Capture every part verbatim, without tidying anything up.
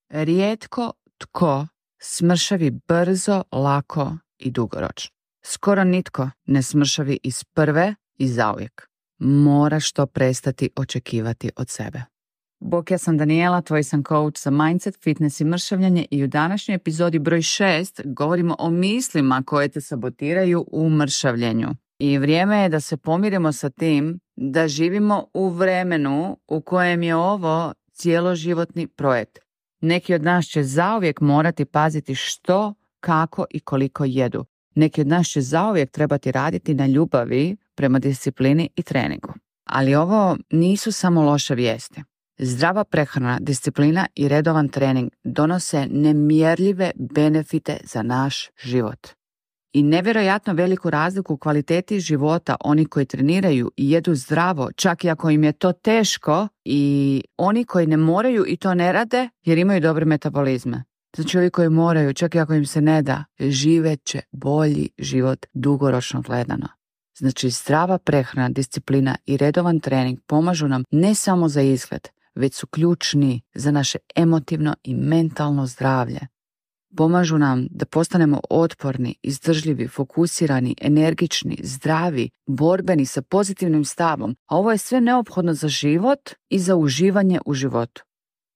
Rijetko tko smršavi brzo, lako i dugoročno. Skoro nitko ne smršavi iz prve i zauvijek. Moraš to prestati očekivati od sebe. Bok, ja sam Daniela, tvoj sam coach za mindset, fitness i mršavljanje i u današnjoj epizodi broj šest govorimo o mislima koje te sabotiraju u mršavljenju. I vrijeme je da se pomirimo sa tim da živimo u vremenu u kojem je ovo cijeloživotni projekt. Neki od nas će zauvijek morati paziti što, kako i koliko jedu. Neki od nas će zauvijek trebati raditi na ljubavi prema disciplini i treningu. Ali ovo nisu samo loše vijesti. Zdrava prehrana, disciplina i redovan trening donose nemjerljive benefite za naš život. I nevjerojatno veliku razliku u kvaliteti života oni koji treniraju i jedu zdravo, čak i ako im je to teško, i oni koji ne moraju i to ne rade jer imaju dobre metabolizme. Znači ovi koji moraju, čak i ako im se ne da, živet će bolji život dugoročno gledano. Znači zdrava prehrana, disciplina i redovan trening pomažu nam ne samo za izgled, već su ključni za naše emotivno i mentalno zdravlje. Pomažu nam da postanemo otporni, izdržljivi, fokusirani, energični, zdravi, borbeni sa pozitivnim stavom, a ovo je sve neophodno za život i za uživanje u životu.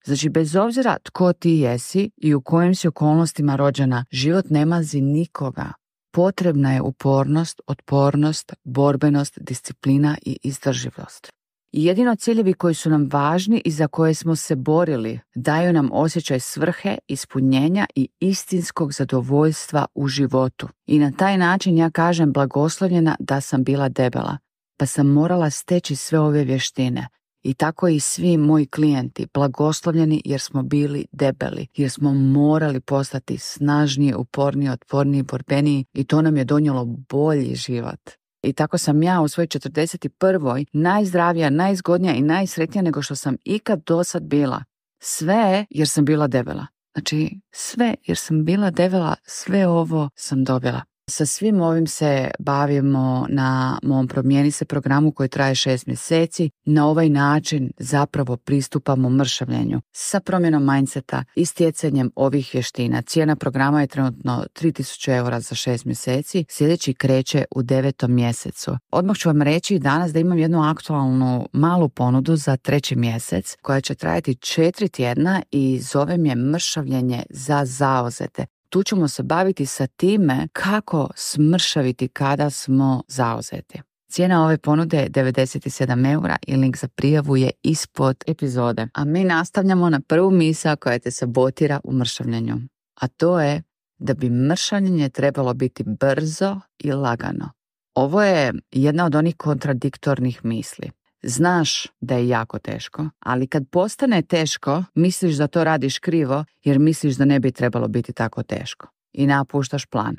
Znači, bez obzira tko ti jesi i u kojim si okolnostima rođena, život ne mazi nikoga. Potrebna je upornost, otpornost, borbenost, disciplina i izdržljivost. I jedino ciljevi koji su nam važni i za koje smo se borili daju nam osjećaj svrhe, ispunjenja i istinskog zadovoljstva u životu. I na taj način ja kažem blagoslovljena da sam bila debela, pa sam morala steći sve ove vještine. I tako i svi moji klijenti blagoslovljeni jer smo bili debeli, jer smo morali postati snažniji, uporniji, otporniji, borbeniji i to nam je donijelo bolji život. I tako sam ja u svojoj četrdeset prvoj najzdravija, najzgodnija i najsretnija nego što sam ikad dosad bila. Sve jer sam bila debela. Znači sve jer sam bila debela, sve ovo sam dobila. Sa svim ovim se bavimo na mom Promijeni se programu koji traje šest mjeseci. Na ovaj način zapravo pristupamo mršavljenju sa promjenom mindseta i stjecanjem ovih vještina. Cijena programa je trenutno tri tisuće eura za šest mjeseci. Sljedeći kreće u devetom mjesecu. Odmah ću vam reći danas da imam jednu aktualnu malu ponudu za treći mjesec koja će trajati četiri tjedna i zovem je mršavljenje za zauzete. Tu ćemo se baviti sa time kako smršaviti kada smo zauzeti. Cijena ove ponude je devedeset sedam eura i link za prijavu je ispod epizode. A mi nastavljamo na prvu misao koja te sabotira u mršavljenju. A to je da bi mršavljenje trebalo biti brzo i lagano. Ovo je jedna od onih kontradiktornih misli. Znaš da je jako teško, ali kad postane teško, misliš da to radiš krivo jer misliš da ne bi trebalo biti tako teško. I napuštaš plan.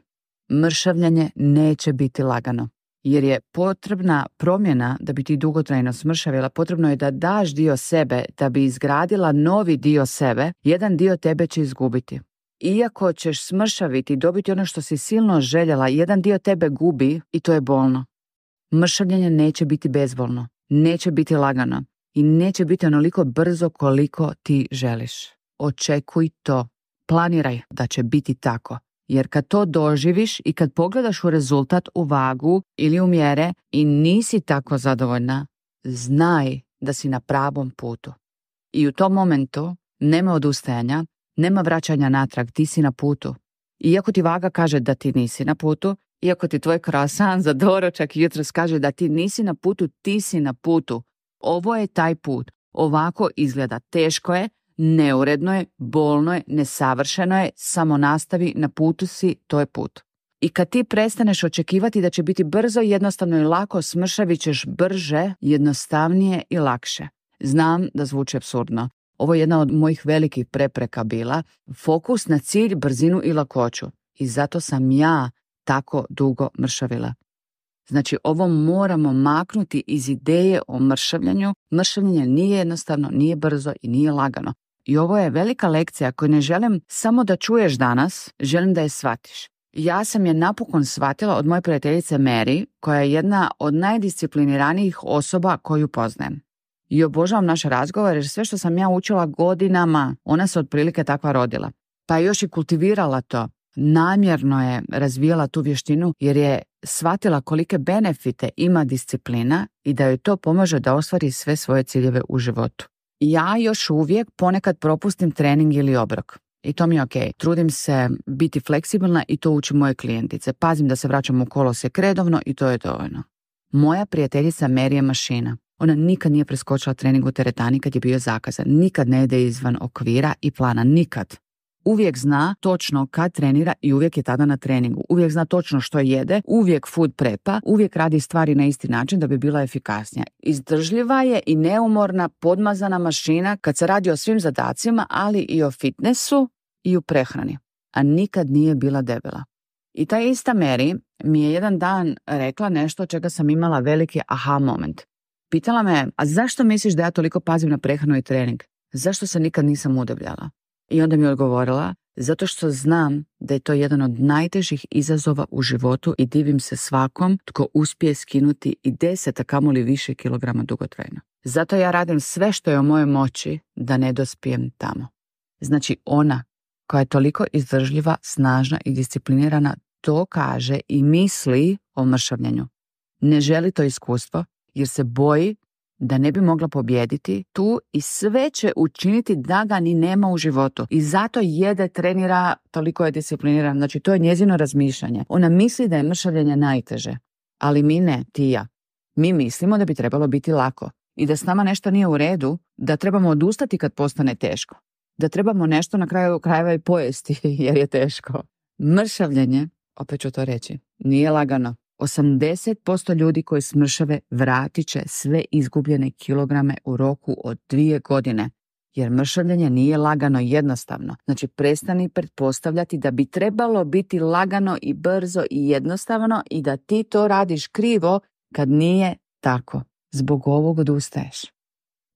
Mršavljanje neće biti lagano, jer je potrebna promjena da bi ti dugotrajno smršavila. Potrebno je da daš dio sebe da bi izgradila novi dio sebe. Jedan dio tebe će izgubiti. Iako ćeš smršaviti i dobiti ono što si silno željela, jedan dio tebe gubi i to je bolno. Mršavljanje neće biti bezbolno. Neće biti lagano i neće biti onoliko brzo koliko ti želiš. Očekuj to. Planiraj da će biti tako. Jer kad to doživiš i kad pogledaš u rezultat, u vagu ili u mjere i nisi tako zadovoljna, znaj da si na pravom putu. I u tom momentu nema odustajanja, nema vraćanja natrag, ti si na putu. Iako ti vaga kaže da ti nisi na putu, iako ti tvoj croissant za doručak jutros kaže da ti nisi na putu, ti si na putu. Ovo je taj put. Ovako izgleda. Teško je, neuredno je, bolno je, nesavršeno je, samo nastavi, na putu si, to je put. I kad ti prestaneš očekivati da će biti brzo, jednostavno i lako, smršavit ćeš brže, jednostavnije i lakše. Znam da zvuči apsurdno. Ovo je jedna od mojih velikih prepreka bila. Fokus na cilj, brzinu i lakoću. I zato sam ja tako dugo mršavila. Znači, ovo moramo maknuti iz ideje o mršavljanju. Mršavljanje nije jednostavno, nije brzo i nije lagano. I ovo je velika lekcija koju ne želim samo da čuješ danas, želim da je shvatiš. Ja sam je napokon shvatila od moje prijateljice Mary, koja je jedna od najdiscipliniranijih osoba koju poznajem. I obožavam naše razgovore jer sve što sam ja učila godinama, ona se otprilike takva rodila. Pa je još i kultivirala to. Namjerno je razvijala tu vještinu jer je shvatila kolike benefite ima disciplina i da joj to pomaže da ostvari sve svoje ciljeve u životu. Ja još uvijek ponekad propustim trening ili obrok. I to mi je ok. Trudim se biti fleksibilna i to učim moje klijentice. Pazim da se vraćam u kolosijek redovno i to je dovoljno. Moja prijateljica Mary je mašina. Ona nikad nije preskočila trening u teretani kad je bio zakazan. Nikad ne ide izvan okvira i plana. Nikad. Uvijek zna točno kad trenira i uvijek je tada na treningu. Uvijek zna točno što jede, uvijek food prepa, uvijek radi stvari na isti način da bi bila efikasnija. Izdržljiva je i neumorna, podmazana mašina kad se radi o svim zadacima, ali i o fitnessu i u prehrani. A nikad nije bila debela. I ta ista Mary mi je jedan dan rekla nešto čega sam imala veliki aha moment. Pitala me, a zašto misliš da ja toliko pazim na prehranu i trening? Zašto se nikad nisam udebljala? I onda mi je odgovorila, zato što znam da je to jedan od najtežih izazova u životu i divim se svakom tko uspije skinuti i deset, a kamoli više kilograma dugotrajno. Zato ja radim sve što je u mojoj moći da ne dospijem tamo. Znači ona koja je toliko izdržljiva, snažna i disciplinirana to kaže i misli o mršavljenju. Ne želi to iskustvo jer se boji da ne bi mogla pobijediti tu i sve će učiniti da ga ni nema u životu. I zato jede, trenira, toliko je discipliniran. Znači to je njezino razmišljanje. Ona misli da je mršavljenje najteže. Ali mi ne, ti i ja. Mi mislimo da bi trebalo biti lako. I da s nama nešto nije u redu, da trebamo odustati kad postane teško. Da trebamo nešto na kraju krajeva i pojesti jer je teško. Mršavljenje, opet ću to reći, nije lagano. osamdeset posto ljudi koji smršave vratit će sve izgubljene kilograme u roku od dvije godine. Jer mršavljenje nije lagano i jednostavno. Znači prestani pretpostavljati da bi trebalo biti lagano i brzo i jednostavno i da ti to radiš krivo kad nije tako. Zbog ovog odustaješ.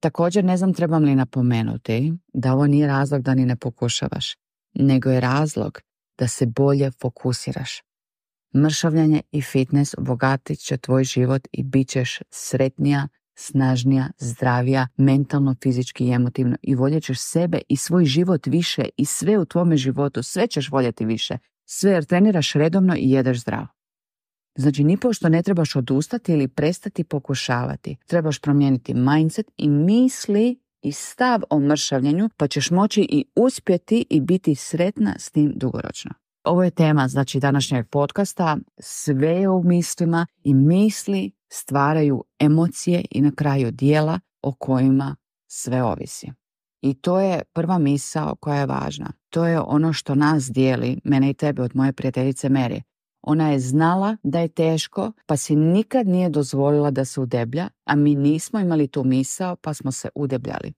Također ne znam trebam li napomenuti da ovo nije razlog da ni ne pokušavaš, nego je razlog da se bolje fokusiraš. Mršavljanje i fitness obogatit će tvoj život i bit ćeš sretnija, snažnija, zdravija, mentalno, fizički i emotivno i voljet ćeš sebe i svoj život više i sve u tvome životu, sve ćeš voljeti više, sve jer treniraš redovno i jedeš zdravo. Znači, nipošto ne trebaš odustati ili prestati pokušavati. Trebaš promijeniti mindset i misli i stav o mršavljenju, pa ćeš moći i uspjeti i biti sretna s tim dugoročno. Ovo je tema, znači, današnjeg podcasta. Sve je u mislima i misli stvaraju emocije i na kraju djela o kojima sve ovisi. I to je prva misao koja je važna. To je ono što nas dijeli, mene i tebe, od moje prijateljice Mary. Ona je znala da je teško, pa si nikad nije dozvolila da se udeblja, a mi nismo imali tu misao, pa smo se udebljali.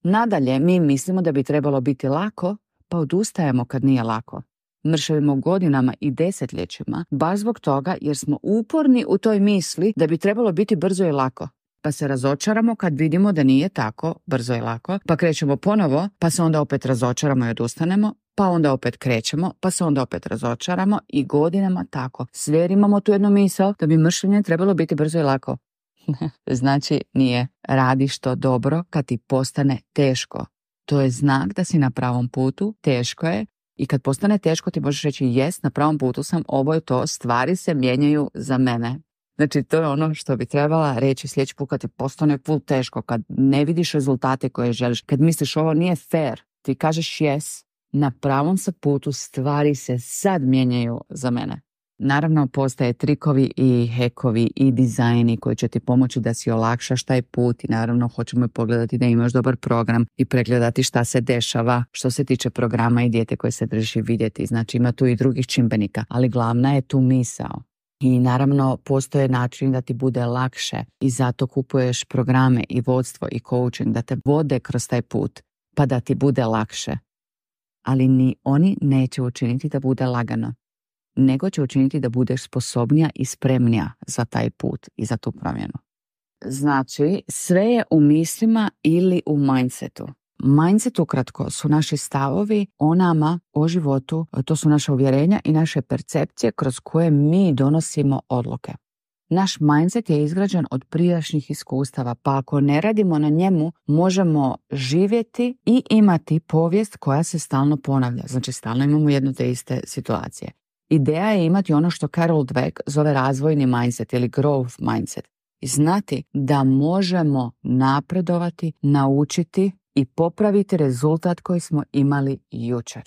Nadalje, mi mislimo da bi trebalo biti lako, pa odustajemo kad nije lako. Mršavimo godinama i desetljećima, baš zbog toga jer smo uporni u toj misli da bi trebalo biti brzo i lako. Pa se razočaramo kad vidimo da nije tako brzo i lako, pa krećemo ponovo, pa se onda opet razočaramo i odustanemo, pa onda opet krećemo, pa se onda opet razočaramo i godinama tako. Sve jer imamo tu jednu misao da bi mršavljenje trebalo biti brzo i lako. Znači nije. Radiš to dobro kad ti postane teško. To je znak da si na pravom putu, teško je. I kad postane teško ti možeš reći jes, na pravom putu sam, ovo je to, stvari se mijenjaju za mene. Znači to je ono što bi trebala reći sljedeći put kad ti postane full teško, kad ne vidiš rezultate koje želiš, kad misliš ovo nije fair, ti kažeš jes, na pravom sam putu, stvari se sad mijenjaju za mene. Naravno postoje trikovi i hekovi i dizajni koji će ti pomoći da si olakšaš taj put i naravno hoćemo pogledati da imaš dobar program i pregledati šta se dešava što se tiče programa i dijete koje se drži vidjeti. Znači ima tu i drugih čimbenika, ali glavna je tu misao. I naravno postoje način da ti bude lakše i zato kupuješ programe i vodstvo i coaching da te vode kroz taj put pa da ti bude lakše. Ali ni oni neće učiniti da bude lagano, nego će učiniti da budeš sposobnija i spremnija za taj put i za tu promjenu. Znači, sve je u mislima ili u mindsetu. Mindset ukratko su naši stavovi o nama, o životu, to su naše uvjerenja i naše percepcije kroz koje mi donosimo odluke. naš mindset je izgrađen od prijašnjih iskustava, pa ako ne radimo na njemu, možemo živjeti i imati povijest koja se stalno ponavlja. Znači, stalno imamo jedno te iste situacije. Ideja je imati ono što Carol Dweck zove razvojni mindset ili growth mindset. I znati da možemo napredovati, naučiti i popraviti rezultat koji smo imali jučer.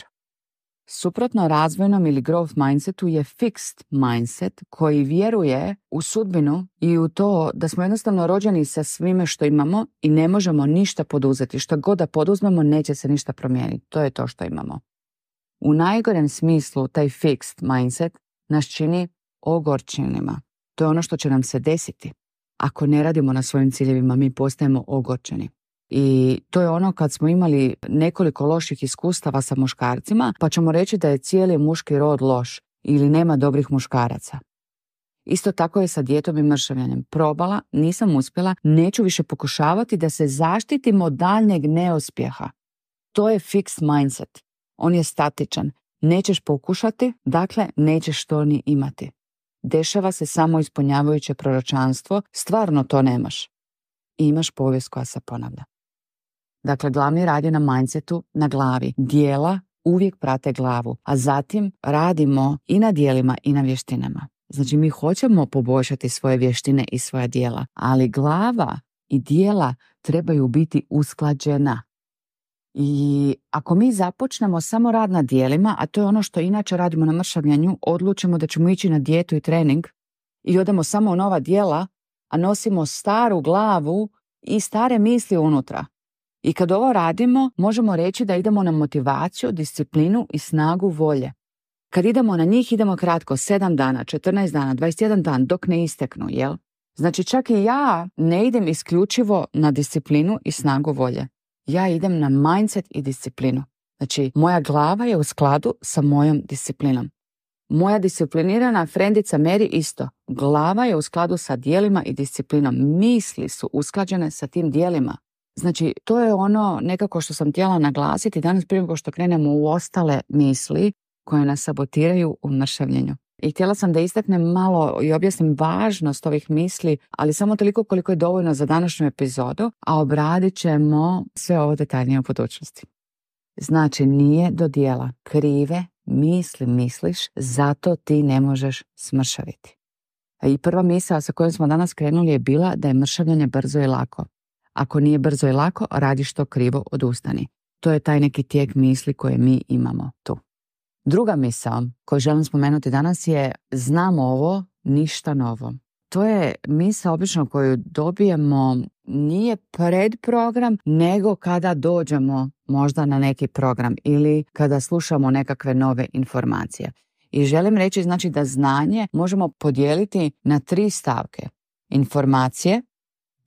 Suprotno razvojnom ili growth mindsetu je fixed mindset koji vjeruje u sudbinu i u to da smo jednostavno rođeni sa svime što imamo i ne možemo ništa poduzeti. Što god da poduzmemo, neće se ništa promijeniti. To je to što imamo. U najgorem smislu taj fixed mindset nas čini ogorčenima. To je ono što će nam se desiti. Ako ne radimo na svojim ciljevima, mi postajemo ogorčeni. I to je ono kad smo imali nekoliko loših iskustava sa muškarcima, pa ćemo reći da je cijeli muški rod loš ili nema dobrih muškaraca. Isto tako je sa dijetom i mršavljanjem. Probala, nisam uspjela, neću više pokušavati da se zaštitim od daljnjeg neuspjeha. To je fixed mindset. On je statičan. Nećeš pokušati, dakle nećeš to ni imati. Dešava se samo ispunjavajuće proročanstvo, stvarno to nemaš. I imaš povijest koja se ponavlja. Dakle, glavni rad je na mindsetu, na glavi. Dijela uvijek prate glavu, a zatim radimo i na dijelima i na vještinama. Znači, mi hoćemo poboljšati svoje vještine i svoja dijela, ali glava i dijela trebaju biti usklađena. I ako mi započnemo samo rad na dijelima, a to je ono što inače radimo na mršavljanju, odlučimo da ćemo ići na dijetu i trening i odemo samo u nova dijela, a nosimo staru glavu i stare misli unutra. I kad ovo radimo, možemo reći da idemo na motivaciju, disciplinu i snagu volje. Kad idemo na njih, idemo kratko, sedam dana, četrnaest dana, dvadeset jedan dan, dok ne isteknu, jel? Znači, čak i ja ne idem isključivo na disciplinu i snagu volje. Ja idem na mindset i disciplinu. Znači, moja glava je u skladu sa mojom disciplinom. Moja disciplinirana frendica Mary isto. Glava je u skladu sa dijelima i disciplinom. Misli su usklađene sa tim dijelima. Znači, to je ono nekako što sam htjela naglasiti danas prije nego što krenemo u ostale misli koje nas sabotiraju u mršavljenju. I htjela sam da istaknem malo i objasnim važnost ovih misli, ali samo toliko koliko je dovoljno za današnju epizodu, a obradit ćemo sve ovo detaljnije u budućnosti. Znači, nije do dijela. Krive misli misliš, zato ti ne možeš smršaviti. I prva misao sa kojom smo danas krenuli je bila da je mršavljanje brzo i lako. Ako nije brzo i lako, radiš to krivo, odustani. To je taj neki tijek misli koje mi imamo tu. Druga misao koju želim spomenuti danas je znam ovo, ništa novo. To je misao obično koju dobijemo nije pred program, nego kada dođemo možda na neki program ili kada slušamo nekakve nove informacije. I želim reći znači da znanje možemo podijeliti na tri stavke. Informacije,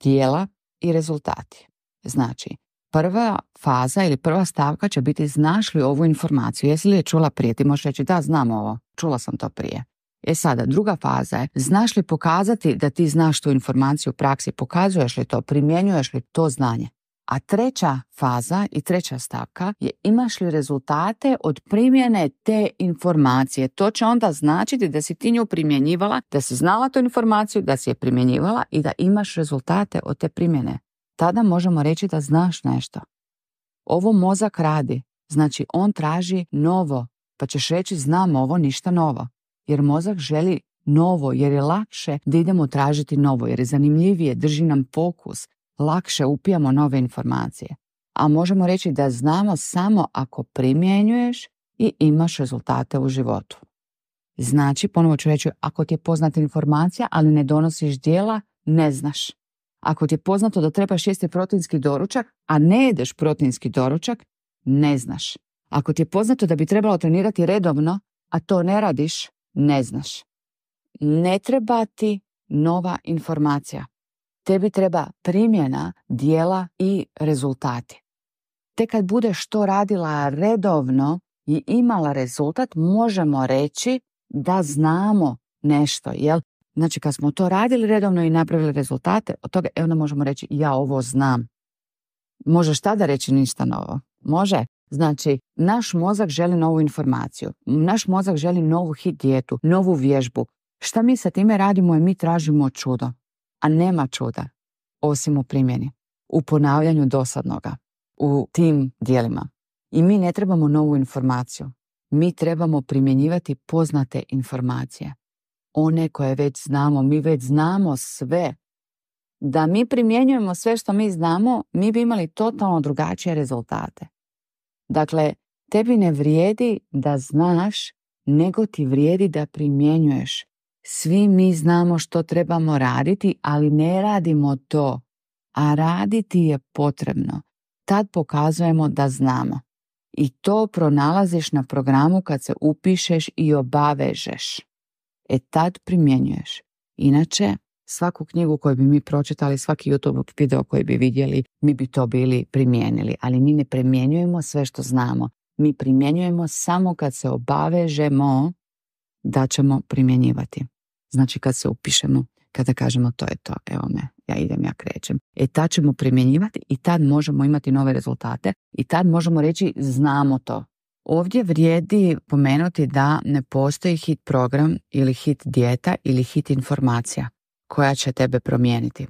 dijela i rezultati. Znači, prva faza ili prva stavka će biti znaš li ovu informaciju, jesi li je čula prije, ti možeš reći da znam ovo, čula sam to prije. E sada, druga faza je znaš li pokazati da ti znaš tu informaciju u praksi, pokazuješ li to, primjenjuješ li to znanje. A treća faza i treća stavka je imaš li rezultate od primjene te informacije. To će onda značiti da si ti nju primjenjivala, da si znala tu informaciju, da si je primjenjivala i da imaš rezultate od te primjene. Tada možemo reći da znaš nešto. Ovo mozak radi, znači on traži novo, pa ćeš reći znam ovo, ništa novo. Jer mozak želi novo, jer je lakše da idemo tražiti novo, jer je zanimljivije, drži nam fokus, lakše upijamo nove informacije. A možemo reći da znamo samo ako primjenjuješ i imaš rezultate u životu. Znači, ponovo ću reći, ako ti je poznata informacija, ali ne donosiš djela, ne znaš. Ako ti je poznato da trebaš jesti proteinski doručak, a ne jedeš proteinski doručak, ne znaš. Ako ti je poznato da bi trebalo trenirati redovno, a to ne radiš, ne znaš. Ne treba ti nova informacija. Tebi treba primjena, djela i rezultati. Te kad budeš to radila redovno i imala rezultat, možemo reći da znamo nešto, jel? Znači, kad smo to radili redovno i napravili rezultate, od toga onda možemo reći ja ovo znam. Možeš tada reći ništa novo? Može. Znači, naš mozak želi novu informaciju. Naš mozak želi novu hit dijetu, novu vježbu. Šta mi sa time radimo je mi tražimo čudo, a nema čuda osim u primjeni, u ponavljanju dosadnoga, u tim dijelima. I mi ne trebamo novu informaciju. Mi trebamo primjenjivati poznate informacije. One koje već znamo, mi već znamo sve. Da mi primjenjujemo sve što mi znamo, mi bi imali totalno drugačije rezultate. Dakle, tebi ne vrijedi da znaš, nego ti vrijedi da primjenjuješ. Svi mi znamo što trebamo raditi, ali ne radimo to. A raditi je potrebno. Tad pokazujemo da znamo. I to pronalaziš na programu kad se upišeš i obavežeš. E tad primjenjuješ. Inače, svaku knjigu koju bi mi pročitali, svaki YouTube video koji bi vidjeli, mi bi to bili primijenili. Ali mi ne primjenjujemo sve što znamo. Mi primjenjujemo samo kad se obavežemo da ćemo primjenjivati. Znači kad se upišemo, kada kažemo to je to, evo me, ja idem, ja krećem. E tad ćemo primjenjivati i tad možemo imati nove rezultate i tad možemo reći znamo to. Ovdje vrijedi pomenuti da ne postoji hit program ili hit dijeta ili hit informacija koja će tebe promijeniti.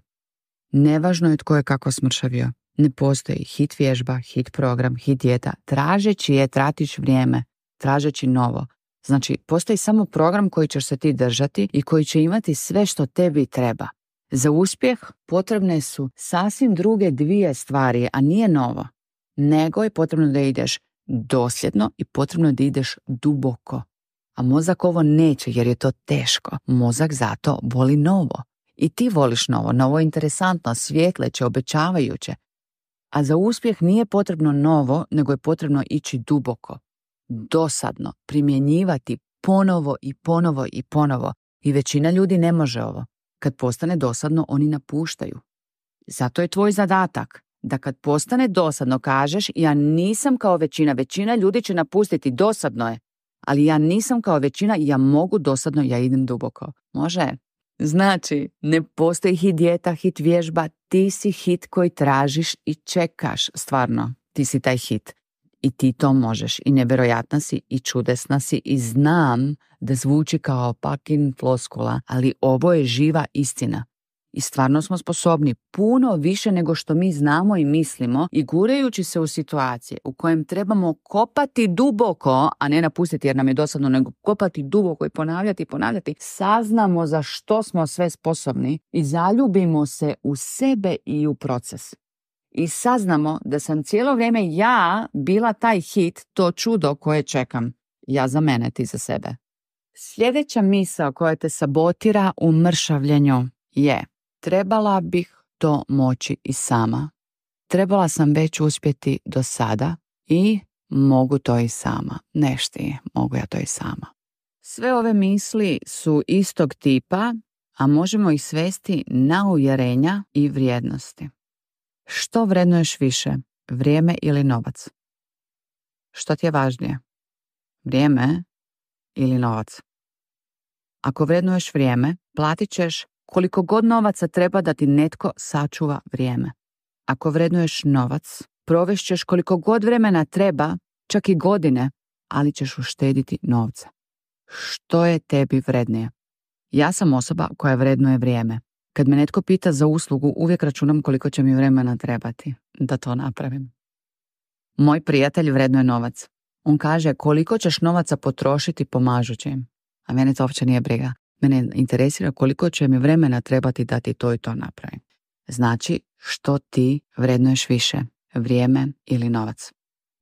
Nevažno je tko je kako smršavio. Ne postoji hit vježba, hit program, hit dijeta. Tražeći je tratiš vrijeme, tražeći novo. Znači, postoji samo program koji ćeš se ti držati i koji će imati sve što tebi treba. Za uspjeh potrebne su sasvim druge dvije stvari, a nije novo. Nego je potrebno da ideš dosljedno i potrebno je da ideš duboko. A mozak ovo neće jer je to teško. Mozak zato voli novo. I ti voliš novo. Novo je interesantno, svjetleće, obećavajuće. A za uspjeh nije potrebno novo, nego je potrebno ići duboko. Dosadno, primjenjivati ponovo i ponovo i ponovo. I većina ljudi ne može ovo. Kad postane dosadno, oni napuštaju. Zato je tvoj zadatak da kad postane dosadno kažeš ja nisam kao većina. Većina ljudi će napustiti, dosadno je. Ali ja nisam kao većina i ja mogu dosadno, ja idem duboko. Može? Znači, ne postoji hit dijeta, hit vježba, ti si hit koji tražiš i čekaš. Stvarno, ti si taj hit. I ti to možeš. I nevjerojatna si i čudesna si i znam da zvuči kao fucking floskula, ali ovo je živa istina. I stvarno smo sposobni puno više nego što mi znamo i mislimo i gurajući se u situacije u kojem trebamo kopati duboko, a ne napustiti jer nam je dosadno, nego kopati duboko i ponavljati i ponavljati, saznamo za što smo sve sposobni i zaljubimo se u sebe i u proces. I saznamo da sam cijelo vrijeme ja bila taj hit, to čudo koje čekam. Ja za mene, ti za sebe. Sljedeća misao koja te sabotira u mršavljenju je: trebala bih to moći i sama. Trebala sam već uspjeti do sada i mogu to i sama. Nešti, mogu ja to i sama. Sve ove misli su istog tipa, a možemo ih svesti na uvjerenja i vrijednosti. Što vrednuješ više, vrijeme ili novac? Što ti je važnije? Vrijeme ili novac? Ako vrednuješ vrijeme, platit ćeš koliko god novaca treba da ti netko sačuva vrijeme. Ako vrednuješ novac, provešćeš koliko god vremena treba, čak i godine, ali ćeš uštediti novca. Što je tebi vrednije? Ja sam osoba koja vrednuje vrijeme. Kad me netko pita za uslugu, uvijek računam koliko će mi vremena trebati da to napravim. Moj prijatelj vrednuje novac. On kaže koliko ćeš novaca potrošiti pomažući im. A mene to uopće nije briga. Mene interesira koliko će mi vremena trebati da ti to i to napravim. Znači, što ti vrednuješ više, vrijeme ili novac?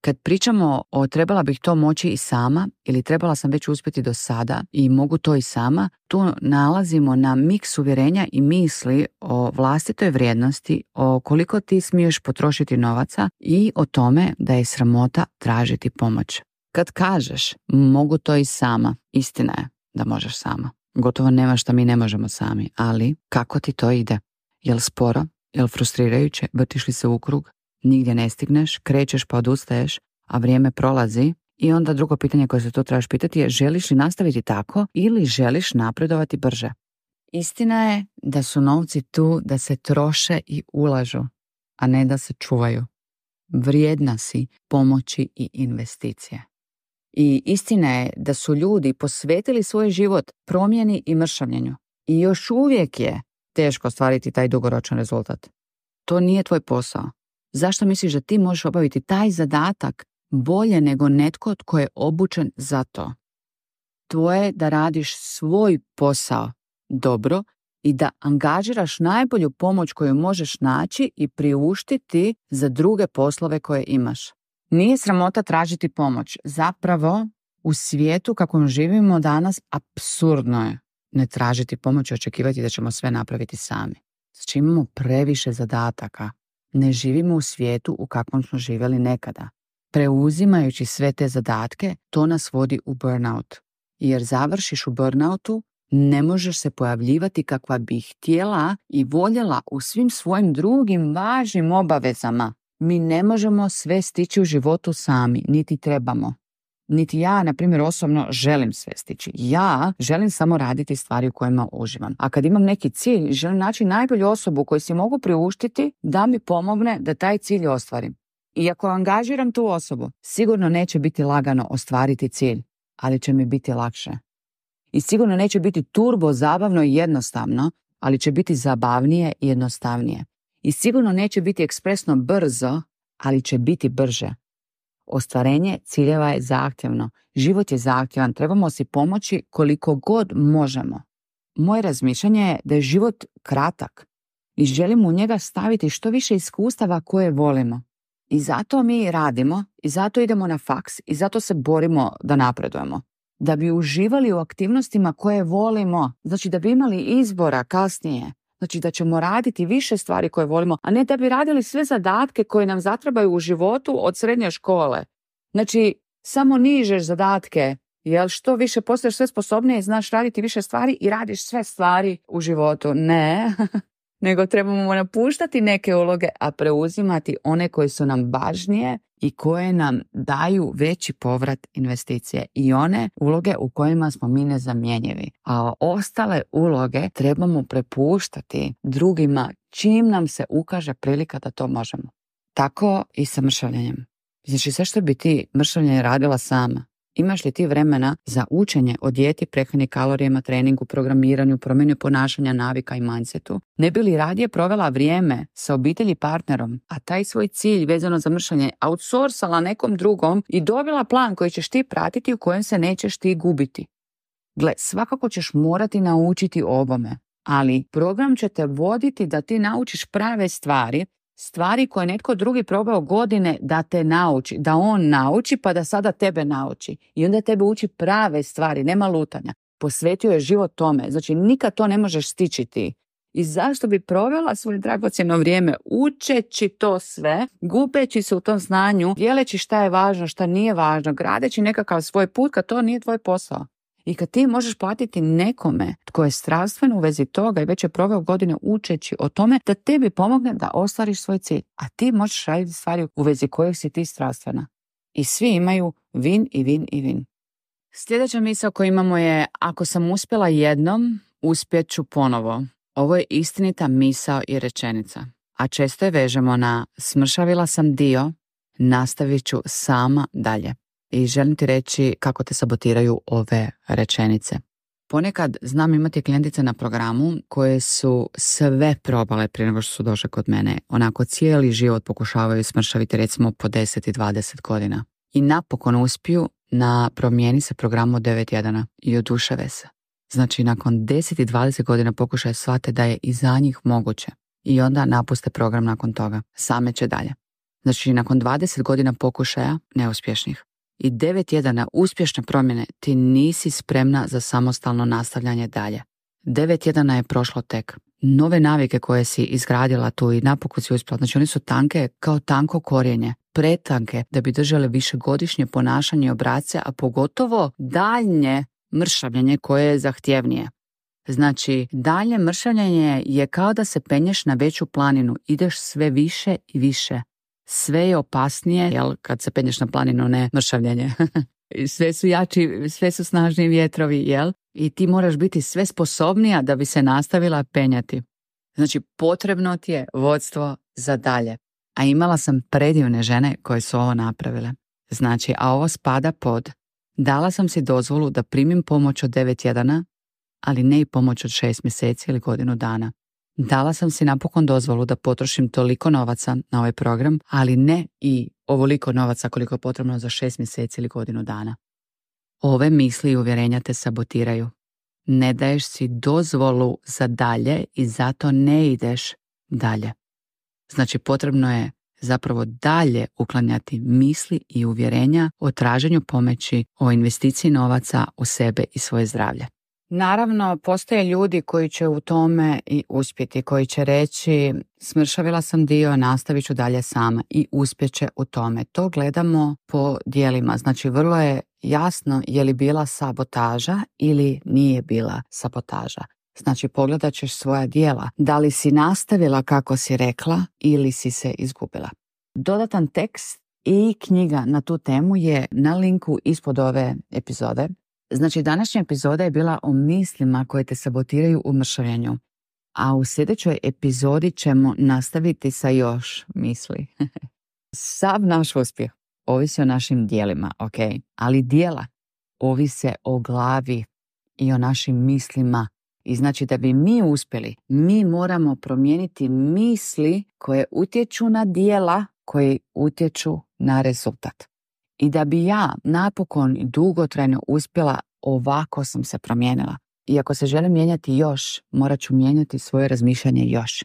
Kad pričamo o trebala bih to moći i sama ili trebala sam već uspjeti do sada i mogu to i sama, tu nalazimo na miks uvjerenja i misli o vlastitoj vrijednosti, o koliko ti smiješ potrošiti novaca i o tome da je sramota tražiti pomoć. Kad kažeš mogu to i sama, istina je da možeš sama. Gotovo nema šta mi ne možemo sami, ali kako ti to ide? Jel sporo? Jel frustrirajuće? Vrtiš li se u krug? Nigdje ne stigneš, krećeš pa odustaješ, a vrijeme prolazi. I onda drugo pitanje koje se tu trebaš pitati je: želiš li nastaviti tako ili želiš napredovati brže? Istina je da su novci tu da se troše i ulažu, a ne da se čuvaju. Vrijedna si pomoći i investicije. I istina je da su ljudi posvetili svoj život promjeni i mršavljenju. I još uvijek je teško ostvariti taj dugoročan rezultat. To nije tvoj posao. Zašto misliš da ti možeš obaviti taj zadatak bolje nego netko tko je obučen za to? Tvoje je da radiš svoj posao dobro i da angažiraš najbolju pomoć koju možeš naći i priuštiti za druge poslove koje imaš. Nije sramota tražiti pomoć. Zapravo, u svijetu kakvom živimo danas, apsurdno je ne tražiti pomoć i očekivati da ćemo sve napraviti sami. Znači imamo previše zadataka. Ne živimo u svijetu u kakvom smo živjeli nekada. Preuzimajući sve te zadatke, to nas vodi u burnout. Jer završiš u burnoutu, ne možeš se pojavljivati kakva bi htjela i voljela u svim svojim drugim važnim obavezama. Mi ne možemo sve stići u životu sami, niti trebamo. Niti ja, na primjer, osobno želim sve stići. Ja želim samo raditi stvari u kojima uživam. A kad imam neki cilj, želim naći najbolju osobu koju si mogu priuštiti da mi pomogne da taj cilj ostvarim. I ako angažiram tu osobu, sigurno neće biti lagano ostvariti cilj, ali će mi biti lakše. I sigurno neće biti turbo zabavno i jednostavno, ali će biti zabavnije i jednostavnije. I sigurno neće biti ekspresno brzo, ali će biti brže. Ostvarenje ciljeva je zahtjevno. Život je zahtjevan. Trebamo si pomoći koliko god možemo. Moje razmišljanje je da je život kratak i želimo u njega staviti što više iskustava koje volimo. I zato mi radimo, i zato idemo na faks, i zato se borimo da napredujemo. Da bi uživali u aktivnostima koje volimo, znači da bi imali izbora kasnije, znači da ćemo raditi više stvari koje volimo, a ne da bi radili sve zadatke koje nam zatrebaju u životu od srednje škole. Znači, samo nižeš zadatke, jel što više postaješ sve sposobnije, znaš raditi više stvari i radiš sve stvari u životu. Ne, nego trebamo napuštati neke uloge, a preuzimati one koje su nam važnije i koje nam daju veći povrat investicije i one uloge u kojima smo mi nezamjenjivi. A ostale uloge trebamo prepuštati drugima čim nam se ukaže prilika da to možemo. Tako i sa mršavljenjem. Znači sve što bi ti mršavljenje radila sama. Imaš li ti vremena za učenje o dijeti, prehrani, kalorijama, treningu, programiranju, promjeni ponašanja, navika i mindsetu? Ne bi li radije provela vrijeme sa obitelji i partnerom, a taj svoj cilj vezano za mršavljenje outsourcala nekom drugom i dobila plan koji ćeš ti pratiti u kojem se nećeš ti gubiti? Gle, svakako ćeš morati naučiti obome, ali program će te voditi da ti naučiš prave stvari, stvari koje netko drugi probao godine da te nauči, da on nauči pa da sada tebe nauči. I onda tebe uči prave stvari, nema lutanja. Posvetio je život tome, znači nikad to ne možeš stići ti. I zašto bi provela svoje dragocjeno vrijeme učeći to sve, gubeći se u tom znanju, dijeleći šta je važno, šta nije važno, gradeći nekakav svoj put kad to nije tvoj posao. I kad ti možeš platiti nekome tko je strastveno u vezi toga i već je proveo godine učeći o tome da tebi pomogne da ostvariš svoj cilj. A ti možeš raditi stvari u vezi kojih si ti strastvena. I svi imaju win i win i win. Sljedeća misao koju imamo je: ako sam uspjela jednom, uspjet ću ponovo. Ovo je istinita misao i rečenica. A često je vežemo na smršavila sam dio, nastavit ću sama dalje. I želim ti reći kako te sabotiraju ove rečenice. Ponekad znam imati klijentice na programu koje su sve probale prije nego što su došle kod mene. Onako cijeli život pokušavaju smršaviti recimo po deset i dvadeset godina. I napokon uspiju na promijeni se programu od devet tjedana i oduševe se. Znači nakon deset i dvadeset godina pokušaje shvate da je i za njih moguće. I onda napuste program nakon toga. Same će dalje. Znači nakon dvadeset godina pokušaja neuspješnih i devet tjedana uspješne promjene ti nisi spremna za samostalno nastavljanje dalje. Devet tjedana je prošlo tek. Nove navike koje si izgradila tu i napokon si uspjela, znači one su tanke kao tanko korijenje, pretanke da bi držale višegodišnje ponašanje i obrasce, a pogotovo daljnje mršavljenje koje je zahtjevnije. Znači, daljnje mršavljenje je kao da se penješ na veću planinu, ideš sve više i više. Sve je opasnije, jel, kad se penješ na planinu, ne mršavljenje. Sve su jači, sve su snažniji vjetrovi, jel? I ti moraš biti sve sposobnija da bi se nastavila penjati. Znači, potrebno ti je vodstvo za dalje. A imala sam predivne žene koje su ovo napravile. Znači, a ovo spada pod Dala sam si dozvolu da primim pomoć od devet tjedana, ali ne i pomoć od šest mjeseci ili godinu dana. Dala sam si napokon dozvolu da potrošim toliko novaca na ovaj program, ali ne i ovoliko novaca koliko je potrebno za šest mjeseci ili godinu dana. Ove misli i uvjerenja te sabotiraju. Ne daješ si dozvolu za dalje i zato ne ideš dalje. Znači potrebno je zapravo dalje uklanjati misli i uvjerenja o traženju pomoći, o investiciji novaca u sebe i svoje zdravlje. Naravno, postoje ljudi koji će u tome i uspjeti, koji će reći smršavila sam dio, nastavit ću dalje sama i uspjeće u tome. To gledamo po dijelima, znači vrlo je jasno je li bila sabotaža ili nije bila sabotaža. Znači pogledat ćeš svoja djela, da li si nastavila kako si rekla ili si se izgubila. Dodatan tekst i knjiga na tu temu je na linku ispod ove epizode. Znači današnja epizoda je bila o mislima koje te sabotiraju u mršavljenju, a u sljedećoj epizodi ćemo nastaviti sa još misli. Sav naš uspjeh ovisi o našim dijelima, ok? Ali dijela ovise o glavi i o našim mislima. I znači da bi mi uspjeli, mi moramo promijeniti misli koje utječu na dijela koje utječu na rezultat. I da bi ja napokon dugotrajno uspjela, ovako sam se promijenila. I ako se želim mijenjati još, morat ću mijenjati svoje razmišljanje još.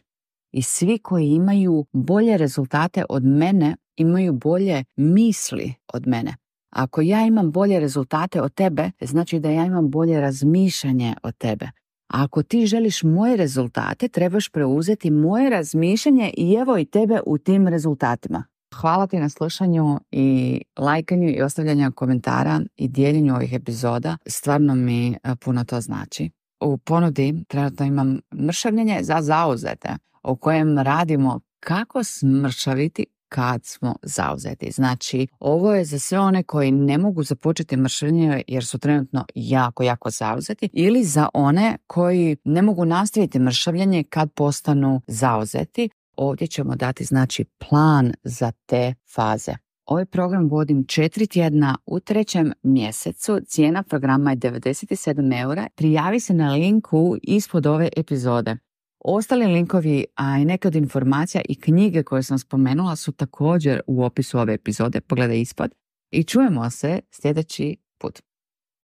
I svi koji imaju bolje rezultate od mene, imaju bolje misli od mene. Ako ja imam bolje rezultate od tebe, znači da ja imam bolje razmišljanje od tebe. A ako ti želiš moje rezultate, trebaš preuzeti moje razmišljanje i evo i tebe u tim rezultatima. Hvala ti na slušanju i lajkanju i ostavljanju komentara i dijeljenju ovih epizoda. Stvarno mi puno to znači. U ponudi trenutno imam mršavljenje za zauzete, u kojem radimo kako smršaviti kad smo zauzeti. Znači, ovo je za sve one koji ne mogu započeti mršavljenje jer su trenutno jako, jako zauzeti, ili za one koji ne mogu nastaviti mršavljenje kad postanu zauzeti. Ovdje ćemo dati znači plan za te faze. Ovaj program vodim četiri tjedna u trećem mjesecu. Cijena programa je devedeset sedam eura. Prijavi se na linku ispod ove epizode. Ostali linkovi, a i neke od informacija i knjige koje sam spomenula su također u opisu ove epizode. Pogledaj ispod. I čujemo se sljedeći put.